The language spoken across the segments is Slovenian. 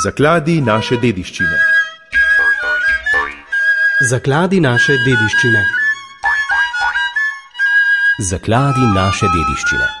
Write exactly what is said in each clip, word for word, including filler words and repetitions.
Zakladi naše dediščine. Zakladi naše dediščine. Zakladi naše dediščine.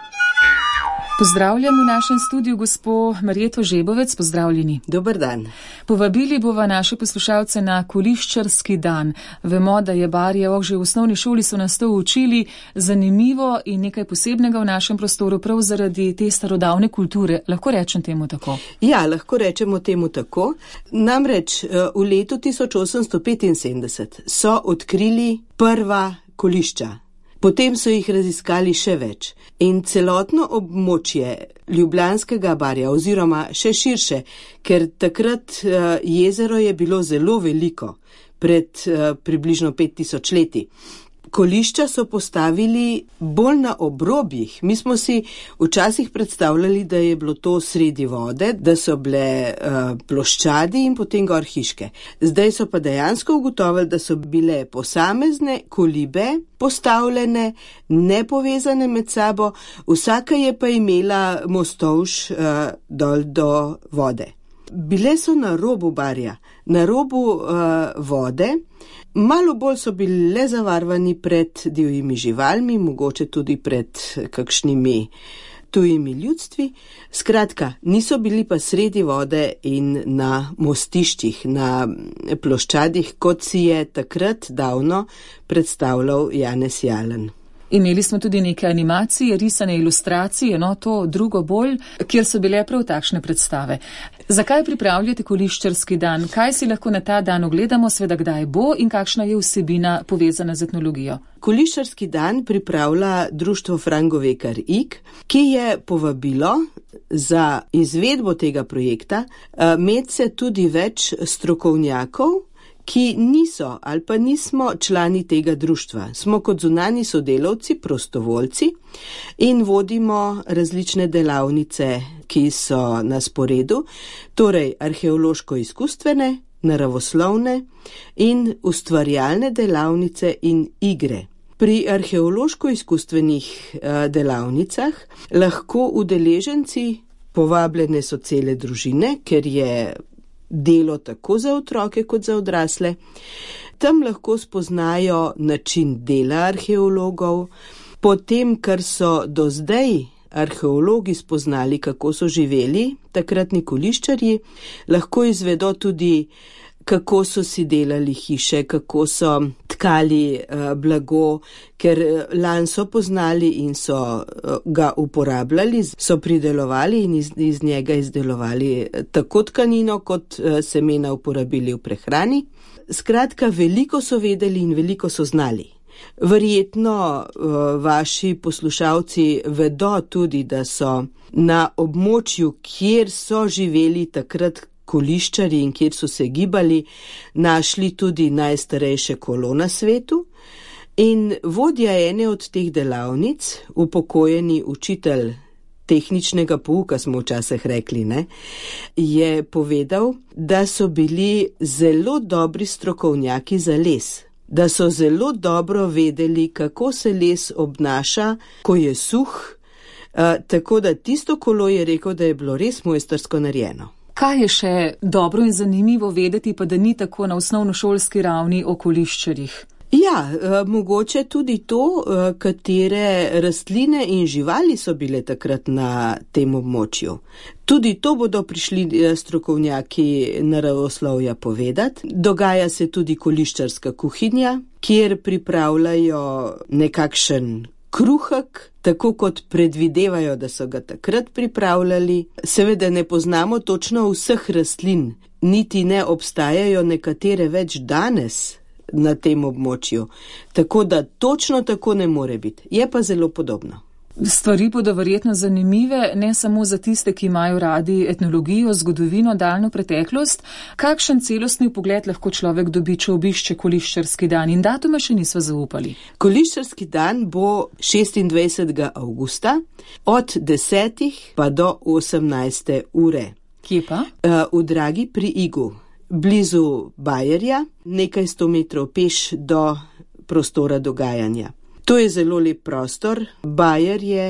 Pozdravljam v našem studiu gospo Marjeto Žebovec, pozdravljeni. Dober dan. Povabili bova naše poslušalce na Koliščarski dan. Vemo, da je Barje ok, že v osnovni šoli so nas to učili, zanimivo in nekaj posebnega v našem prostoru prav zaradi te starodavne kulture. Lahko rečem temu tako? Ja, lahko rečemo temu tako. Namreč v letu tisoč osemsto petinsedemdeset so odkrili prva kolišča. Potem so jih raziskali še več in celotno območje Ljubljanskega barja oziroma še širše, ker takrat jezero je bilo zelo veliko, pred približno pet tisoč leti. Kolišča so postavili bolj na obrobjih. Mi smo si včasih predstavljali, da je bilo to sredi vode, da so bile uh, ploščadi in potem gor hiške. Zdaj so pa dejansko ugotovili, da so bile posamezne kolibe postavljene, nepovezane med sabo, vsaka je pa imela mostovž uh, dol do vode. Bile so na robu barja, na robu uh, vode. Malo bolj so bili zavarvani pred divjimi živalmi, mogoče tudi pred kakšnimi tujimi ljudstvi. Skratka, niso bili pa sredi vode in na mostiščih, na ploščadih, kot si je takrat davno predstavljal Janez Jalen. Imeli smo tudi neke animacije, risane ilustracije, no to drugo bolj, kjer so bile prav takšne predstave. Zakaj pripravljate Koliščarski dan? Kaj si lahko na ta dan ogledamo, sveda kdaj bo in kakšna je vsebina povezana z etnologijo? Koliščarski dan pripravlja društvo Frangovekar Ig, ki je povabilo za izvedbo tega projekta medse tudi več strokovnjakov, ki niso ali pa nismo člani tega društva. Smo kot zunanji sodelavci, prostovoljci in vodimo različne delavnice, ki so na sporedu, torej arheološko-izkustvene, naravoslovne in ustvarjalne delavnice in igre. Pri arheološko-izkustvenih delavnicah lahko udeleženci, povabljene so cele družine, ker je delo tako za otroke kot za odrasle. Tam lahko spoznajo način dela arheologov, potem, kar so do zdaj arheologi spoznali, kako so živeli takratni koliščarji, lahko izvedo tudi, kako so si delali hiše, kako so tkali uh, blago, ker lan so poznali in so uh, ga uporabljali, so pridelovali in iz, iz njega izdelovali tako tkanino, kot uh, semena uporabili v prehrani. Skratka, veliko so vedeli in veliko so znali. Verjetno uh, vaši poslušalci vedo tudi, da so na območju, kjer so živeli takrat koliščari in kjer so se gibali, našli tudi najstarejše kolo na svetu in vodja ene od teh delavnic, upokojeni učitelj tehničnega pouka, smo včasih rekli, ne, je povedal, da so bili zelo dobri strokovnjaki za les, da so zelo dobro vedeli, kako se les obnaša, ko je suh, uh, tako da tisto kolo je rekel, da je bilo res mojstrsko narejeno. Kaj je še dobro in zanimivo vedeti, pa da ni tako na osnovnošolski ravni o koliščarjih? Ja, mogoče tudi to, katere rastline in živali so bile takrat na tem območju. Tudi to bodo prišli strokovnjaki naravoslovja povedati. Dogaja se tudi koliščarska kuhinja, kjer pripravljajo nekakšen kruhek, tako kot predvidevajo, da so ga takrat pripravljali. Seveda ne poznamo točno vseh rastlin, niti ne obstajajo nekatere več danes na tem območju. Tako da točno tako ne more biti. Je pa zelo podobno. Stvari bodo verjetno zanimive, ne samo za tiste, ki imajo radi etnologijo, zgodovino, daljno preteklost. Kakšen celostni pogled lahko človek dobi, če obišče Koliščarski dan? In datuma še nisva zaupali. Koliščarski dan bo šestindvajsetega avgusta od desetih pa do osemnajste ure. Kje pa? V Dragi pri Igu, blizu Bajerja, nekaj sto metrov peš do prostora dogajanja. To je zelo lep prostor, bajer je,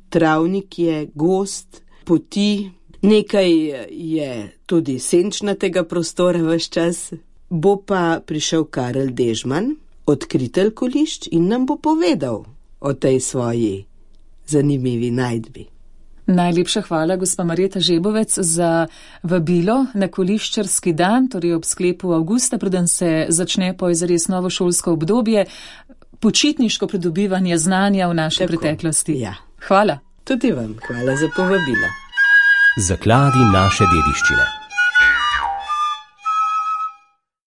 travnik je, gost, poti, Nekaj je tudi senčnatega prostora ves čas. Bo pa prišel Karel Dežman, odkritelj kolišč, in nam bo povedal o tej svoji zanimivi najdbi. Najlepša hvala, gospa Marjeta Žebovec, za vabilo na koliščarski dan, torej ob sklepu avgusta, preden se začne po zares novo šolsko obdobje, počitniško pridobivanje znanja v naši Tako, preteklosti. Ja. Hvala. Tudi vam hvala za povabilo. Zakladi naše dediščine.